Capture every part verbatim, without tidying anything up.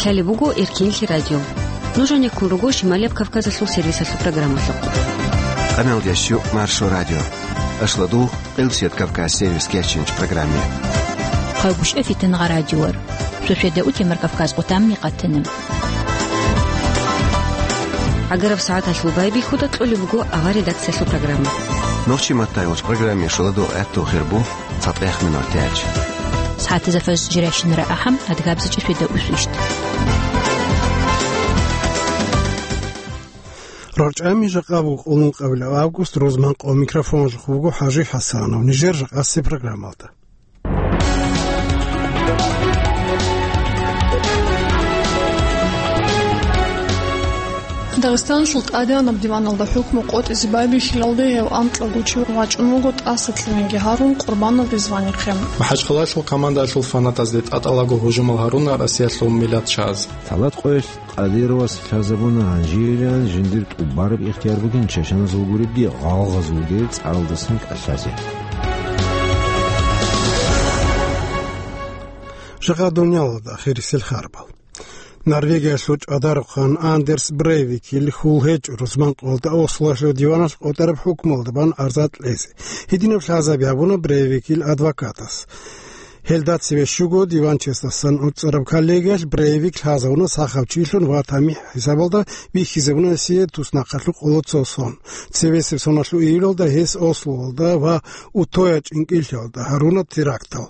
Гьале буго Эркинлъи радио. Нуж гьанеккун руго Шималияб Кавказалъул сервисалъул программалъухъ. Къамел ящу Маршо радио. Ашладу Къилсият Кавказ сервис кечинч программе. Хъайгушев Фитнагъа радиор. Шошеда утемар Кавказ къутамни къатана. Агараб сагӀаталъул байбихьуда кьолеб буго авар редакциялъул программа. Нохчи маттайгъуч программе шуладу гӀатту хирбу. ЦатӀех минутач. СагӀатазда фаз жирайщинара ахӀам, адгабзачӀа феда усвищт. РорчӀами жакъа буго къулун къабилаб август, рузман къо микрофонлъухъ вуго ХӀажи ХӀасанов. Нижер жакъасе программалда. Дагъистаналъул тӀадегӀанаб диваналда хӀукму къотӀизе байбихьилалде гьев анкьа гучив вачӀун вуго тӀаса кьенеги гьарун Къурбанов Ризванихъе. МахӀачхъалалъул командаялъул фанатазде тӀатӀалаго гьужумал гьаруна Россиялъул миллатчияз. Талат къоялъ Къадировас лъазабуна гьанжеялъ жиндир тӀубараб ихтияр бугин чачаназул гуребги гъалгъазулги цӀалдасан кӀалъазе. Жакъа дуниялалда ахирисел харбал. Норвегиялъул чӀвадарухъан Андерс Брейвикил хьул гьечӀо рузман къоялда Ослоялъул диваналъ къотӀараб хӀукмуялда бан арза кьезе. Гьединаб лъазаби гьабуна Брейвикил адвокатас. Гьелда цеве щуго диванчиясдасан уцӀараб коллегиялъ Брейвик лъазабуна сахав чилъун ва тамихӀ хӀисабалда бихьизабуна гьесие туснахъалъул къоло цо сон. Цевесеб соналъул июлалда гьес Ослоялда ва Утоя чӀинкӀиллъиялда гьаруна терактал.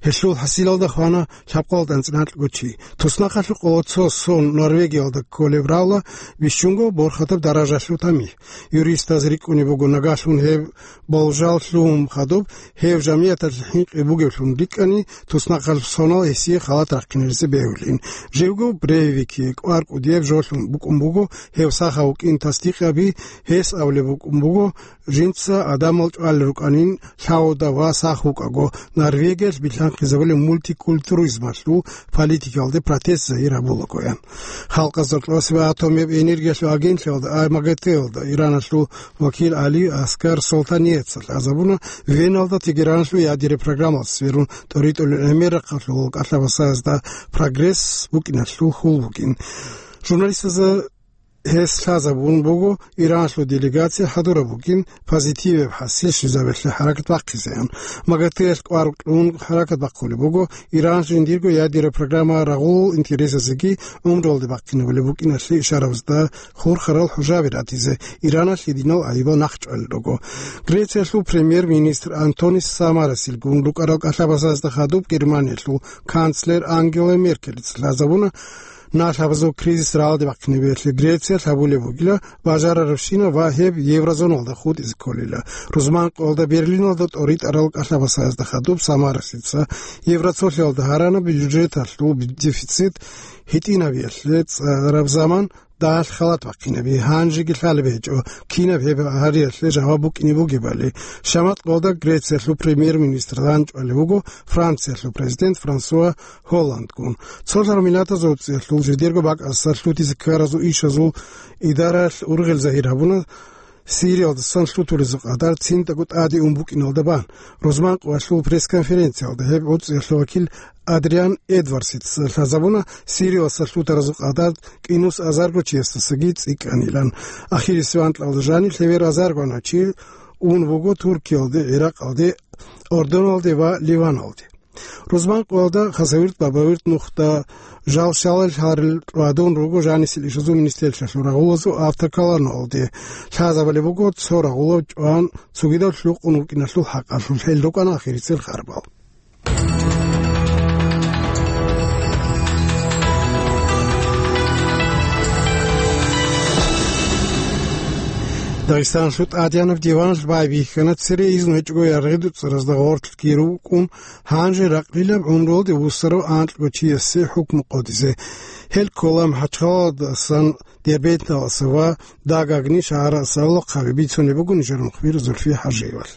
Гьелъул хӀасилалда хвана лъабкъоялда анцӀила анкьго чи. Туснахъалъул къоло цо сон Норвегиялда кколеб равла бищунго борхатаб даражалъул тамихӀ. Юристаз рикӀкӀунеб буго, нагагьлъун гьеб болжал лъугьун хадуб, гьев жамигӀаталъе хӀинкъи бугевлъун рикӀкӀани, туснахъалъул сонал гьесие халат рахъинеризе бегьулин. Живго Брейвикие кӀвар кӀудияб жолъун букӀун буго, гьев сахав вукӀин тасдикъаби, гьес абулеб букӀун буго, жинца адамал чӀвалел рукӀанин лъавуда ва сах вукӀаго, Норвегиялъ билълъанхъизабулеб мультикультуризмалъул политикалде протест загьир гьабулагоян. Халкъазда кьосеб атомияб энергиялъул агентлъиялда, а, МАГАТЭ-ялда, Ираналъул вакил Али Аскар Солтаниеца лъазабуна Веналда Тегераналъул ядерный программалъ сверун тӀоритӀулел гӀемер рахъалъул кӀалъа-басаязда прогресс букӀиналъул хьул бугин. Журналистазда гьес лъазабун буго, Ираналъул делегация хӀадураб бугин, позитиваб хӀасил щвезабиялъе хӀаракат бахъизеян. МАГАТЭ-ялъ кӀвар кьун хӀаракат бахъулеб буго, Иран жиндирго ядерный программа рагъулул интересазеги гӀумруялде бахъинабулеб букӀиналъе ишарабазда хурхарал хӀужаби ратизе, Ираналъ гьединал гӀайибал нахъчӀвалел руго. Грециялъул премьер-министр Антонис Самарасилгун рукӀарал кӀалъа-басазда хадуб Германиялъул канцлер Ангела Меркелица лъазабуна, налъабазул кризис рагӀалде бахъинабиялъе Грециялъ гьабулеб бугила бажарарабщина ва гьеб еврозоналда хутӀизе кколила. Рузман къоялда Берлиналда тӀоритӀарал кӀалъа-басазда хадуб Самарасица Евроцолъиялда гьарана бюджеталъул дефицит гьитӀинабиялъе цӀараб заман дагьалъ халат бахъинаби, гьанжеги лъалеб гьечӀо, кинаб гьеб гьариялъе жаваб букӀине бугебали. Шамат къоялда Грециялъул премьер-министр лъанчӀвалев вуго Франциялъул президент Франсуа Голландгун. Цолъарав миллатазул цӀиялъул жидерго бакӀасда лъутизе ккаразул ишазул идаралъ ургъел загьир гьабуна, Сириялдасан лъутулезул къадар цинтӀаго тӀаде ун букӀиналда бан. Рузман къоялъул пресс-конференциялда гьеб гӀуцӀиялъул вакил Адриан Эдвардсица лъазабуна, Сириялдаса лъутаразул къадар кӀинус азарго чиясдасаги цӀикӀкӀанилан. Ахирисеб анкьалда жаниб лъебер азарго чи ун вуго Туркиялде, ГӀиракъалде, Ордоналде ва Ливаналде. Рузман къоялда хасавирт-бабавирт нухда жал щалал гьарил рвадун руго жанисел ишазул министерствоялъул рагъулазул автоколонналде. Лъазабали буго цо рагъулав чӀван цогидав лъукъун вукӀиналъул хӀакъалъулъ. Гьел рукӀана ахирисел харбал. Дагъистаналъул тӀадегӀанаб диваналъ байбихьана цере изну гьечӀого яргъи дуцӀаразда гъорлъги рукӀун, гьанже ракълилаб гӀумруялде вуссарав анкьго чиясе хӀукму къотӀизе. Гьел ккола МахӀачхъалаялдасан Дербенталаса ва Дагагни шагьаралъа лохъаби, бицунеб буго нижер мухбир Зульфи ХӀажиевалъ.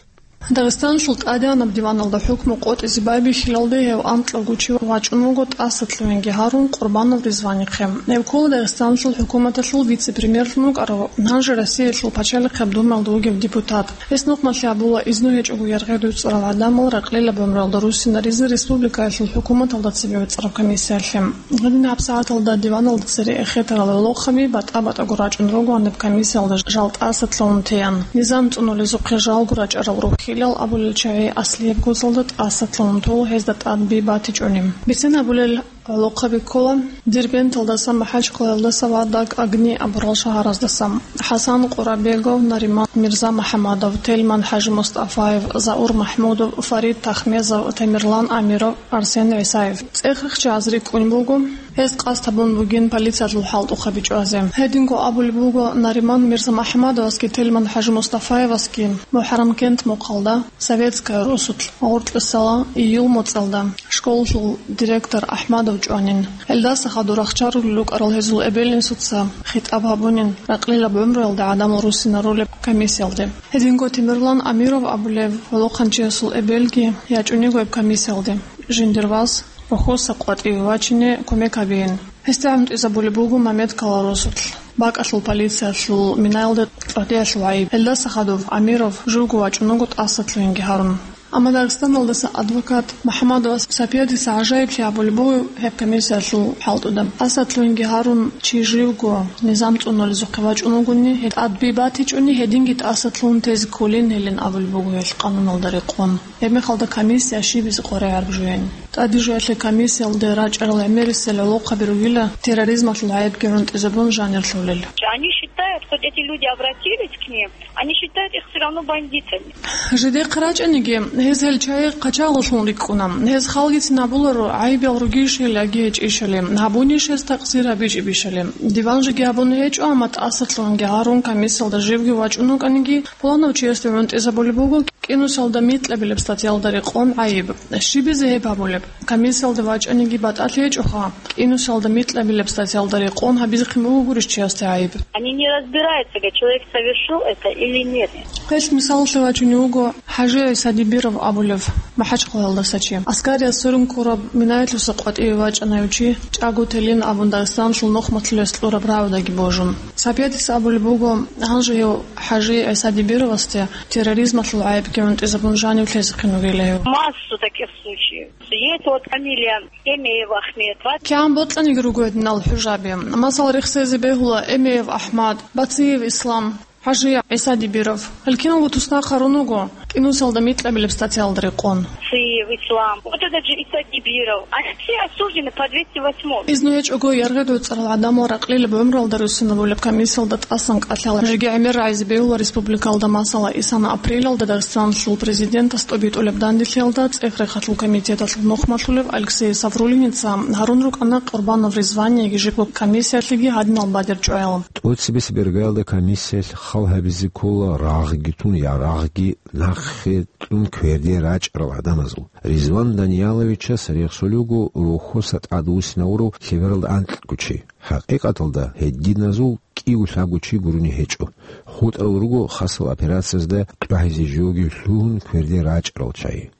Дагъистаналъул тӀадегӀанаб диваналда хӀукму къотӀизе байбихьилалде гьев анкьавго чи вачӀун вуго тӀасалъугьинги гьарун Къурбанов Ризванихъе. Гьев ккола Дагъистаналъул хӀукуматалъул вице-премьерлъун вукӀарав, гьанже Россиялъул Пачалихъеб Думаялда вугев депутат. Гьес нухмалъи абула изну гьечӀого яргъи дуцӀарал гӀадамал ракълилаб гӀумруялда руссинаризе республикаялъул хӀукуматалда цебе вецӀараб комиссиялъе. Гьедин гьабсагӀаталда диваналда цере эхетарал гӀолохъаби батӀа-батӀаго рачӀун ругоан гьеб комиссиялда жал тӀасалъугьун теян. Низам цӀунулезухъе жалго рачӀарал рухьилал абулел чагӀи аслияб гозалда тӀасалъугьун тола гьезда тӀад би батичӀони. Бицен абулел гӀолохъаби ккола Дербенталдаса, МахӀачхъалаялдаса ва Даг-Агни абурал шагьараздаса. ХӀасан Къурабегов, Нариман Мирза-МухӀамадов, Тельман ХӀажимустафаев, Заур МахӀмудов, Фарид Тахмезов, Тамерлан Амиров, Арсен ГӀисаев. ЦӀех-рехчи азри кӀун буго. Гьез къасд гьабун бугин полициялъул хӀалтӀухъаби чӀвазе. Гьединго абулеб буго Нариман Мирза-МухӀамадовасги Тельман ХӀажимустафаевасги МухӀаррамкент мухъалда, Советская росулъ, гъоркьисала июль моцӀалда школалъул директор АхӀмадов чӀванин. Гьелдаса хадур рахчарулел рукӀарал гьезул эбел-инсуца хитӀаб гьабунин ракълилаб гӀумруялда гӀадамал руссинарулеб комиссиялде. Гьединго Темирлан Амиров абулев гӀолохъанчиясул эбелги ячӀун йиго гьеб комиссиялде. Жиндир вас рохьоса къватӀиве вачине кумек гьабеян. Гьесда гӀунтӀизабулеб буго Мамедкала росулъ. БакӀалъул полициялъул минаялда тӀадеялъул гӀайиб. Гьелдаса хадуб Амиров живго вачӀун вуго тӀасалъугьинги гьарун. Амма Дагъистаналдаса адвокат МухӀамадовас Сапиядиса гӀажаиблъи абулеб буго гьеб комиссиялъул хӀалтӀуда. ТӀасалъугьинги гьарун чи живго низам цӀунулезухъе вачӀун вугони, гьеб тӀад би батичӀони, гьединги тӀасалъугьун тезе кколин гьелин абулеб буго гьелъ къануналда рекъон. Гьебмехалда комиссия щибизе къваригӀараб жуян. ТӀаде жуялъе комиссиялде рачӀарал гӀемерисел гӀолохъаби ругила терроризмалъул гӀайибги гӀунтӀизабун жанир лъолел. Они считают, хоть эти люди обратились к ним, они считают их всё равно бандитами. Жидехъ рачӀаниги, гьез гьел чагӀи хъачагълъун рикӀкӀуна. Гьез халгицин абуларо, гӀайибал ругищали яги гьечӀищали, гьабунищ гьез такъсир гьабичӀебищали. Диван жеги гьабун гьечӀо, амма тӀасалъугьинги гьарун комиссиялда живги вачӀун вукӀаниги, пуланав чиясде гӀунтӀизабулеб буго, кӀинусалда микьабилеб статьялда рекъон гӀайиб. Щибизе гьеб гьабулеб? Комиссиялда вачӀаниги батӀалъи гьечӀоха, кӀинусалда микьабилеб статьялда рекъон гьабизехъин буго гурищ чиясде гӀайиб. Они не разбираются, говорит, человек совершил это или нет. Гьелъ мисаллъи вачунев вуго ХӀажи ГӀиса Дибиров абулев МахӀачхъалаялдаса чи. Аскариялъ сверун ккураб минаялъуса къватӀиве вачӀана гьев чи, чӀаго телин абун Дагъистаналъул нухмалъулес кьураб рагӀудаги божун. Сапиятис абулеб буго, гьанже гьев ХӀажи ГӀиса Дибировасде терроризмалъул гӀайибги гӀунтӀизабун жанив лъезехъин вугила гьев. Массу таких случаев. Есть вот фамилия Эмеев Ахмед. КигӀан бокьаниги руго гьединал хӀужаби. Масала, рехсезе бегьула Эмеев АхӀмад, Бациев Ислам, ХӀажи ГӀиса Дибиров. Гьел киналго туснахъ гьарун вуго кӀинусалда микьабилеб статьялда рекъон. Бациев Ислам. Вот этот же Иса Дибиров. Они все осуждены по двести восьмой. Изну гьечӀого яргъи дуцӀарал гӀадамал ракълилаб гӀумруялда руссинабулеб комиссиялда тӀасан кӀалъала. Жеги гӀемер рагӀизе бегьула республикалда, масала, исана апрелалда Дагъистаналъул президентас тӀобитӀулеб данделъиялда ЦӀех-рехалъул комитеталъул нухмалъулев Алексей Саврулиница гьарун рукӀана Къурбанов Ризвани яги живго комиссиялъеги гьадинал бадер чӀваял. ТӀоцебесеб иргаялда комиссиялъ хал гьабизе ккола рагъги тун, ярагъги нахъе кьун кверде рачӀарал гӀадамазул. Ризван Данияловичас рехсолев вуго рохьоса тӀадвуссинавурав лъебералда анкьго чи. ХӀакъикъаталда гьединазул кӀиго-лъабго чи гурони гьечӀо. ХутӀарал руго хасал операциязда тӀагӀизе живги лъугьун кверде рачӀарал чагӀи.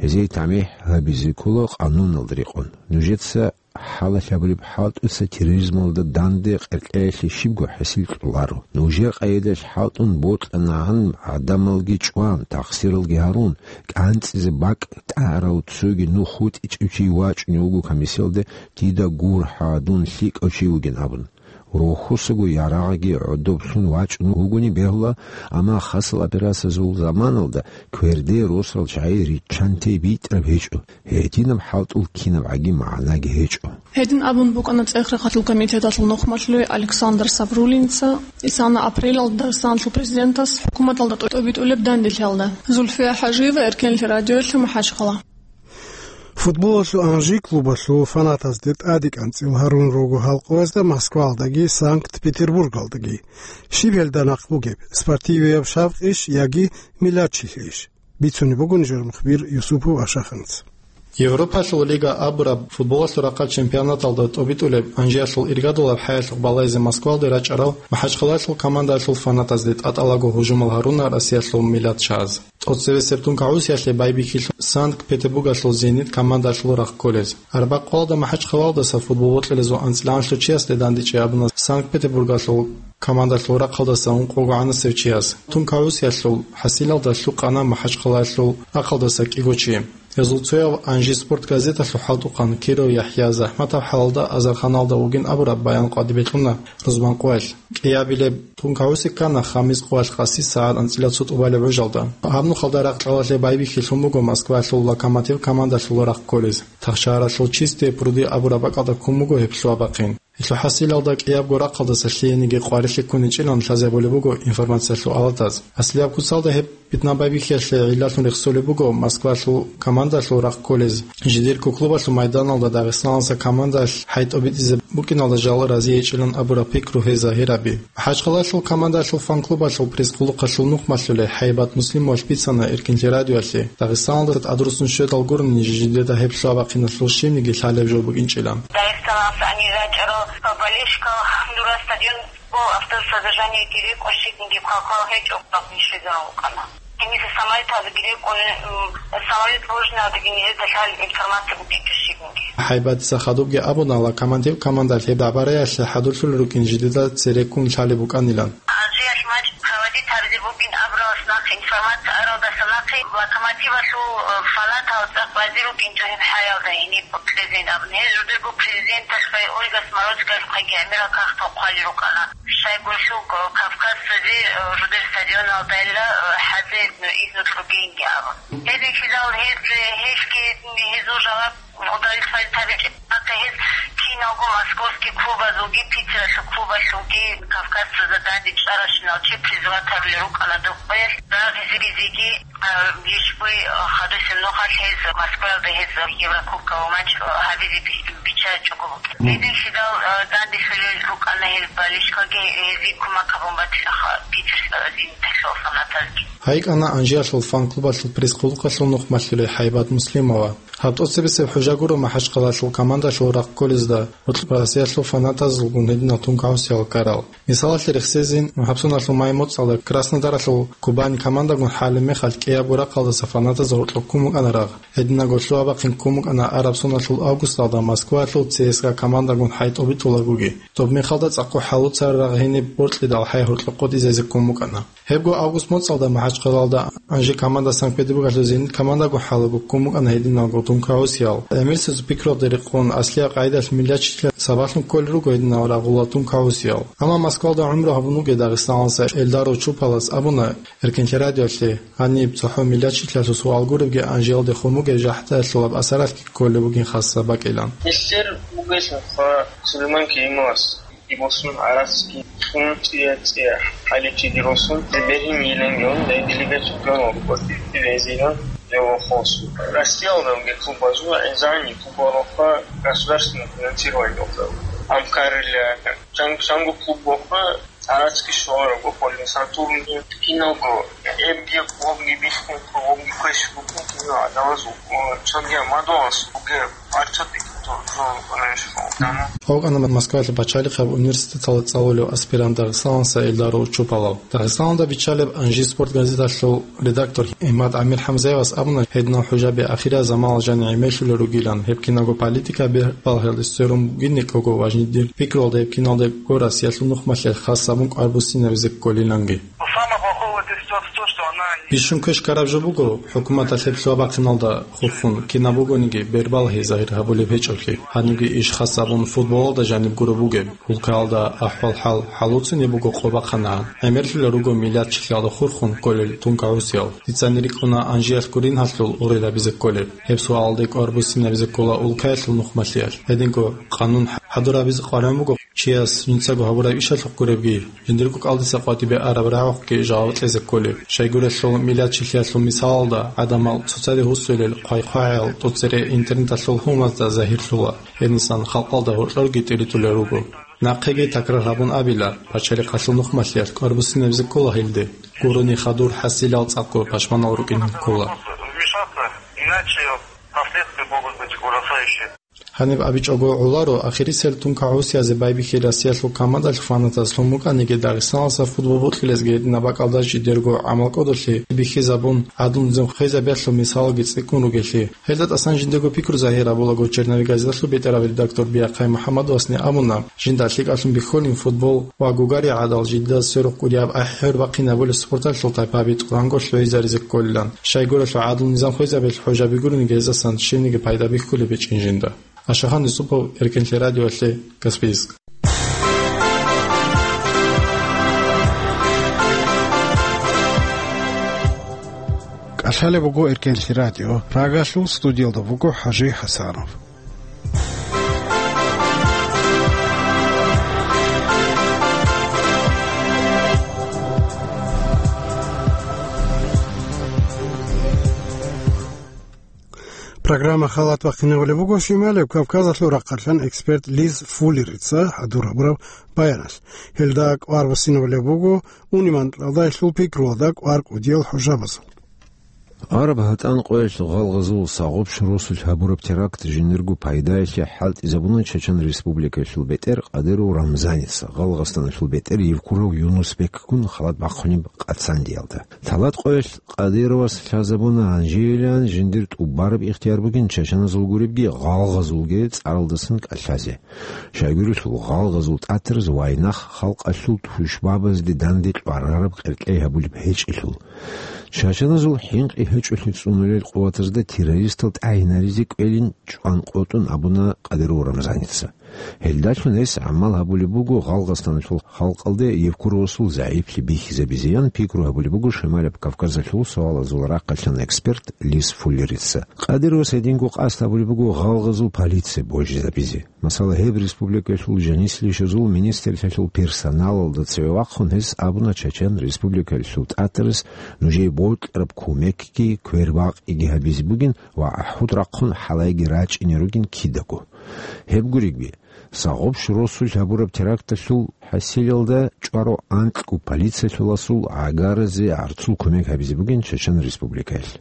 Гьезие тамихӀ гьабизе ккола къануналда рекъон. Нужеца хӀалалъабулеб хӀалтӀуса терроризмалда данде къеркьеялъе щибго хӀасил кьоларо. Нужер къайдалъ хӀалтӀун бокьанагӀан гӀадамалги чӀван, тахсиралги гьарун, кӀанцӀизе бакӀ тӀагӀарав цоги нух хутӀичӀев чи вачӀунев вуго комиссиялде, дида гурхӀа, дун лъикӀав чи вугин абун. Рохьосаго ярагъги гӀодоблъун вачӀун вугони бегьула, амма хасал операциязул заманалда кверде росал чагӀи риччанте битӀараб гьечӀо, гьединаб хӀалтӀул кинабгӀаги магӀнаги гьечӀо. Гьедин абун букӀана ЦӀех-рехалъул комитеталъул нухмалъулев Александр Саврулинца исана апрелалда Дагъистаналъул президентас хӀукуматалда тӀобитӀулеб данделъиялда. Зульфия ХӀажиева, Эркенлъи радиоялъ, МахӀачхъала. Футболалъул Анжи клубалъул фанатазде тӀаде кӀанцӀил гьарун руго гьал къоязда Москваялдаги Санкт-Петербургалдаги. Щиб гьелда нахъ бугеб, спортивияб шавкъищ яги миллатчилъийищ? Бицунеб буго нижер мухбир Юсупов Ашаханц. Европалъул лига абураб футболалъул рахъалъ чемпионаталда тӀобитӀулеб анжиялъул иргадулаб хӀаялъухъ балайзе Москвалде рачӀарал МахӀачхъалаялъул командаялъул фанатазде тӀатӀалаго гьужумал гьаруна Россиялъул миллатчагӀаз. ТӀоцебесеб тун кагӀусиялъе байбихьилъун Санкт-Петербургалъул «Зенит» командаялъул рахъ кколез. Арбякъ къоялда МахӀачхъалаялдаса футбол бокьулезул анцӀила чиясде дандечӀей абуна Санкт-Петербургалъул командаялъул рахъалдаса ункъого гӀанасев чияс. Тун кагӀусиялъул хӀасилалда лъукъана МахӀачхъалаялъул рахъалдаса кӀиго чи. Гьезул цояв «Анжи спорт» газеталъул хӀалтӀухъан Киров ЯхӀя захӀматаб хӀалалда азарханалда вугин абураб баян къватӀибе кьуна рузман къоялъ. КӀиабилеб тун кагӀуси ккана хамис къоялъ къаси сагӀат анцӀила цо тӀубалеб гӀужалда. Гьаб нухалда ракьалалъе байбихьилъун буго Москваялъул «Локомотив» командалъул рахъ кколез. Тахшагьаралъул «Чистые пруды» абураб бакӀалда ккун буго гьеб лъугьа-бахъин. Гьелъул хӀасилалда кӀиябго рахъалдаса лъиениги къварилъи ккуничӀилан лъазе гьабулеб буго информациялъул алатаз. Аслияб куцалда гьеб питна-байбихьиялъе гӀиллалъун рехсолеб буго Москвалъул командалъул рахъ кколез. Жидерго клубалъул майданалда Дагъистаналдаса командаялъ хӀай тӀобитӀизе букӀиналда жал разиечӀилан абураб пикру гьез загьир гьаби. МахӀачхъалаялъул командаялъул фан-клубалъул пресс-къулухъалъул нухмалъулей ХӀайбат Муслимовалъ бицана Эркинлъи радиоялъе, Дагъистаналда тӀадруссун щведал гурони жидеда гьеб лъугьа-бахъиналъул щибниги лъалеб жо букӀинчӀилан. Дагъистаналдаса гьанир рачӀарал болельщикал дура стадион Гол автобусазда жанивги рекӀун щибниги квалквал гьечӀо, гьаб ниж щвезарун вукӀана. Гьениса самолеталдаги рекӀун, м, самолет ложный абиги нижеда лъал информация букӀинчӀо щибниги. ХӀайбатица хадубги абуна, «Локомотив» командалъ гьеб дагӀбараялъе хӀадурлъулел рукӀин жидеда цереккун лъалеб букӀанилан. Алжиялъ матч проводить гьабизе бугин абуралдаса нахъе, информация аралдаса нахъе, «Локомотивалъул», э, фанатал цӀакъ базе рукӀинчӀо гьеб хӀаялда гьениб президент абун. Гьез жидерго президенталъухъе Ольга Смородскаялъухъеги гӀемерал кагътал хъвалел рукӀана. Щайгурелъул Кавказцазе, э, жидер стадионалдайилла, э, хӀазе, э, изну кьогейинги абун. Гьеб бихьидал гьез, э, гьелъги гьезул жаваб удовлетворить гьабичӀеб. Нахъе гьез киналго московский клубазулги, Питералъул клубалъулги Кавказцазда данде чӀаращинал чи призывать гьабулел рукӀана духъ къоялъ. Дагъизе бизеги, а, ишбуй, а, хадусеб нухалъ гьез Москваялда гьез Еврокубковый матч, а, гьабизе би-, биччачӀого бугеб. Мгм. Гьединлъидал, а, данделъулел рукӀана гьел болельщикалги, гьезие кумек гьабун батилаха Питер, а, «Зениталъул» фанатазги. ГьайикӀана Анжиялъул фан-клубалъул пресс-къулухъалъул нухмалъулей ХӀайбат Муслимова. Гьаб тӀоцебесеб хӀужа гуро МахӀачхъалаялъул командалъул рахъ кколезда гьоркьоб Россиялъул фанатазулгун гьединал тун кагӀусиял ккарал. Мисалалъе рехсезе, гьабсуналъул май моцӀалда Краснодаралъул «Кубань» командагун хӀалеб мехалъ кӀиябго рахъалдаса фанатаз гьоркьоб ккун букӀана рагъ. Гьединго лъугьа-бахъин ккун букӀана араб соналъул августалда Москваялъул ЦСКА командагун хӀай тӀобитӀулагоги. Доб мехалда цӀакъго хӀалуцараб рагъ гьениб боркьидал хӀай гьоркьоб къотӀизазе ккун букӀана. Гьебго август моцӀалда МахӀачхъалаялда Анжи команда Санкт-Петербургалъул «Зенит» командагун хӀалеб ккун букӀана гьединалго тун кагӀусиял. ГӀемерисезул пикруялда рекъон, аслияб къагӀидалъ миллатчилъиялъ сабаблъун кколел руго гьединал рагъулал тун кагӀусиял. Амма Москвалда гӀумру гьабун вугев Дагъистаналдаса Эльдар Учупалас абуна, Эркинлъи радиоялъе, гьаниб цохӀо миллатчилъиялъул суал гуребги Анжиялде хун бугеб жахӀдаялъулаб асаралъги кколеб бугин хасаб бакӀилан. Гьелъер бугелъулха Сулейман Керимовас босун гӀарацги хун цӀия-цӀия хӀаличиги росун, бергьин йилангеян, делегат чемпионал рукӀватив везеган жавахосу. Россиялда клубазул гӀезани клубалаха государственное финансирование. Амкарила чан-, чанго клубалаха гӀарацги шуараб, Сатурн, киналго, эбги, клубги биххун, клубги квеш букун, кинал адамаз, чанги мадугьалас бугеб. ГьавкӀана Москвалъ пачалихъаб университеталда цӀалулев аспирант дагъистаналдаса Эльдар Учупалав. Дагъистаналда биччалеб «Анжи спорт» газеталъул редактор ГӀимад ГӀамир ХӀамзаевас абуна, гьединал хӀужаби ахирзаманалъ жани гӀемерлъулел ругилан, гьеб киналго политика бер-, балагьалде сверун бугин, никого важнее пикруялда гьеб киналдаго Россиялъул нухмалъиялъ хас гьабун кӀвар буссинабизе кколиланги. Бищун квеш ккараб жо буго, хӀукуматалъ гьеб лъугьа-бахъиналда хурхун, кинаб бугониги, бербал гьей загьир гьабулеб гьечӀоблъи. Гьанибги иш хас гьабун футболалда жаниб гуро бугеб. Улкаялда ахӀвал-хӀал хӀалуцунеб буго къо бахъанагӀан. ГӀемерлъулел руго миллатчилъиялда хурхун кколел тун кагӀусиял. Дицани рикӀкӀуна Анжиялъ гурин гьалъул гъурел гьабизе кколеб. Гьеб суалалде кӀвар буссинабизе ккола улкаялъул нухмалъиялъ. Гьединго къанун хӀадур гьабизе къваригӀун буго. Чияс жинцаго гьабураб ишалъухъ гуребги, жиндирго кӀалдиса къватӀибе араб рагӀухъги жаваб кьезе кколеб. Щайгурелъул миллатчилъиялъул мисалалда, гӀадамал цоцаде гьусулел хъвай-хъвагӀаял тӀоцере интернеталъул гьумазда загьирлъула, гьенисан халкъалда гьоркьорги тӀиритӀулел руго. Нахъеги такрар гьабун абила, пачалихъалъул нухмалъиялъ кӀвар буссинабизе ккола гьелде, гурони хадур хӀасилал цӀакъго пашманал рукӀин ккола. Последствия могут быть ужасающие. Гьаниб абичӀого гӀоларо, ахирисел тункагӀусиязе байбихьи Россиялъул командалъ фанатаз лъун букӀаниги, Дагъистаналъа футбол бокьилезги гьединаб бакӀалда жидерго гӀамал кӀодолъи бихьизабун, гӀадлу-низам хвезабиялъул мисалалги цӀикӀкӀун ругелъи. Гьелда тӀасан жиндего пикру загьир гьабулаго, «Черновик» газеталъул бетӀерав редактор Биахъай МухӀаммадовасни абуна, жинда лъикӀалъун бихьулин футбол ва гугари гӀадал жидеда сверухъ кӀудияб ахӀи-хӀур бахъинабулеб спорталъул тайпаби тӀуранго лъугӀизаризе кколилан. Щайгурелъул гӀадлу-низам хвезабиялъ хӀужа бигуриниги гьезасан щибниги пайда бихьулеб гьечӀин жинда. Ашахан Юсупов, Эркенлъи радиоялъе, Каспийск. КӀалъалеб буго Эркенлъи радио, Прагалъул студиялда буго ХӀажи ХӀасанов. Программа халат бахъинабулеб буго Шималев Кавказалъул рахъалъан эксперт Лиз Фуллерица хӀадур гьабураб баяналъ. Гьелда кӀвар буссинабулеб буго Униманкьалдайилъул пикруялда кӀвар кӀудиял хӀужабазул. Араб гьатӀан къоялъ гъалгъазул Сагъуб росулъ гьабураб теракт жиндирго пайдаялъе хӀалтӀизабуна Чечен Республикаялъул бетӀер Къадиров Рамзаница, Гъалгъастаналъул бетӀер Евкуров Юнусбекгун халат бахъунеб къацандиялда. Талат къоялъ Къадировас лъазабуна гьанжеялъ жиндир тӀубараб ихтияр бугин чачаназул гуребги гъалгъазулги цӀаралдасан кӀалъазе. Щайгурелъул гъалгъазул тӀатараз вайнахъ халкъалъул тушбабазде данде кьварараб къеркьей гьабулеб гьечӀелъул. Чачаназул хӀинкъи гьечӀолъи цӀунулел къуватазда террористал тӀагӀинаризе кӀвелин чӀван къотӀун абуна Къадиров Рамзаница. Гьелдалъун гьес гӀамал гьабулеб буго Гъалгъастаналъул халкъалде Евкуровасул загӀиплъи бихьизабизеян пикру гьабулеб буго Шималаб Кавказалъул суалазул рахъалъан эксперт Лиз Фуллерица. Къадировас гьединго къасд гьабулеб буго гъалгъазул полиция божизабизе. Масала, гьеб республикаялъул жанислъи ишазул министрлъиялъул персоналалда цеве вахъун гьес абуна Чечен Республикаялъул тӀатараз нужее бокьараб кумекги квербакъиги гьабизе бугин ва гӀахӀуд рахъун хӀалайги рачӀине ругин кидаго. Гьеб гуребги, Сагъуб росулъ гьабураб теракталъул хӀасилалда чӀварав анкьго полициялъуласул гӀагаразе гӀарцул кумек гьабизе бугин Чечен Республикаялъ.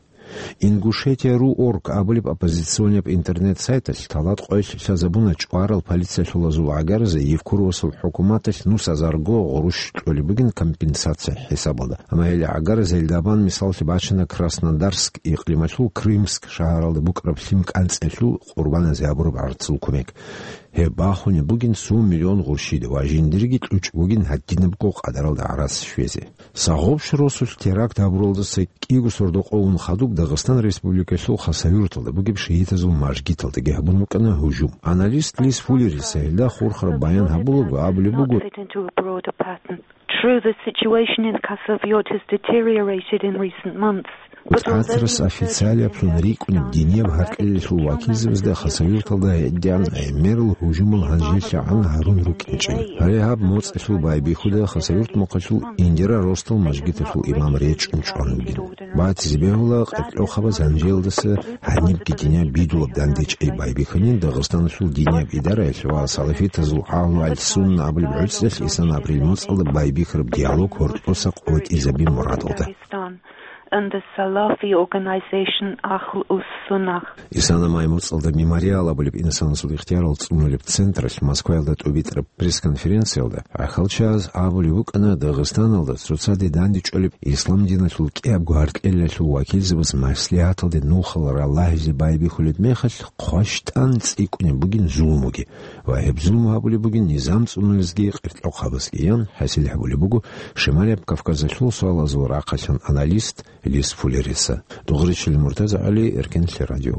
Ингушетия ру орг абулеб оппозиционияб интернет-сайталъ талат къоялъ лъазабуна чӀварал полициялъулазул гӀагаразе Евкуровасул хӀукуматалъ нусазарго гъурущ кьолеб бугин компенсация хӀисабалда. Амма гьел гӀагаразел дабан мисаллъи бачана Краснодарск икълималъул Крымск шагьаралда букӀараб лъим кӀанцӀиялъул къурбаназе гьабураб гӀарцул кумек. Гьеб бахунеб бугин цо миллион гъурщида ва жиндирги кьучӀ бугин гьадинабго къадаралда гӀарац щвезе. Сагъуб росулъ теракт гьабуралдаса кӀиго сордо къо ун хадуб Дагъистан Республикалъул Хасавюрталда бугеб шигьитазул мажгиталдаги гьабун букӀана гьужум. Аналист Лиз Фуллерица гьелда хурхараб баян гьабулаго абулеб буго, True, the situation in Khasavurt has deteriorated in recent months. ТӀатарас официалиблъун рикӀкӀунеб динияб гьаркьелалъул вакилзабазда Хасавюрталда гьедигӀан гӀемерал гьужумал гьанжелъагӀан гьарун рукӀинчӀеб. Гьале гьаб моцӀалъул байбихьуда Хасавюрт мухъалъул Индира росдал мажгиталъул имам речӀчӀун чӀван вугин. Батизе бегьула, къеркьохъабаз гьанжеялдаса гьанибги динияб бидулаб дандечӀей байбихьанин Дагъистаналъул динияб идараялъ ва салафитазул Агьлу аль-Сунна абулеб гӀуцӀралъ исана апрель моцӀалда байбихьараб диалог гьоркьоса къотӀизабин мурадалда. And the Salafi organization Ahl us-Sunnah. Исана май моцӀалда Мемориал абулеб инсанасул ихтиярал цӀунулеб централъ Москваялда тӀубитӀараб пресс-конференциялда рахьалчагӀаз абулеб букӀана, Дагъистаналда цоцаде дандечӀолеб ислам диналъул кӀиябго гьаркьелалъул вакилзабаз маслигӀаталде нухал ралагьизе байбихьулеб мехалъ хъващтӀан цӀикӀкӀунеб бугин зулмуги ва гьеб зулму гьабулеб бугин низам цӀунулезги къеркьохъабазги, ян хӀасил гьабулеб буго Шималияб Кавказалъул суалазул рахъалъан аналист Лиз Фуллерица. Дугъричил Муртаза ГӀали, Эркенлъи радио.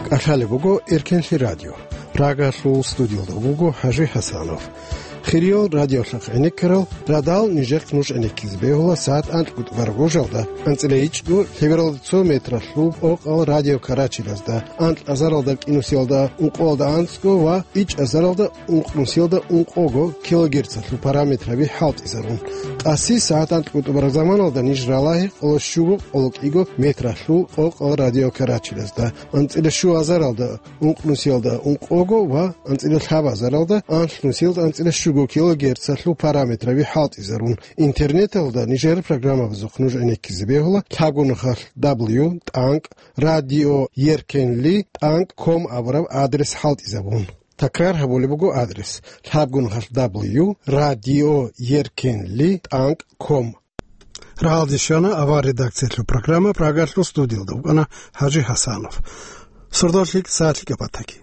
КӀалъалеб буго Эркенлъи радио. Прагалъул студиялда вуго ХӀажи ХӀасанов. Хириял радиолъахъ гӀенеккарал радал нижехъ нуж гӀенеккизе бегьула сагӀат анкьго тӀубараб гъужалда, анцӀила ичӀго лъебералда цо метралъул къокъал радио Карачилазда, анкь азаралда кӀинусиялда ункъоялда анцӀго ва ичӀ азаралда ункънусиялда ункъого килогерцалъул параметраби хӀалтӀизабун. Къаси сагӀат анкьго тӀубараб заманалда ниж ралагьи къоло щуго къоло кӀиго метралъул къокъал радио Карачилазда, анцӀила щу азаралда ункънусиялда ункъого Го ва анцӀила лъабазаралда анлънусиялда анцӀила щуго килогерцалъул параметраби хӀалтӀизарун. Интернеталда нижер программабазухъ нуж гӀенеккизе бегьула лъабго нухалъ W тӀанкӀ радио еркенли тӀанкӀ ком абураб адрес хӀалтӀизабун. Такрар гьабулеб буго адрес: лъабго нухалъ W радио еркенли тӀанкӀ ком. Рагьалде щвана авар редакциялъул программа, Прагалъул студиялда вукӀана ХӀажи ХӀасанов. Сордоялъ лъикӀ сагӀат лъикӀаб батаги.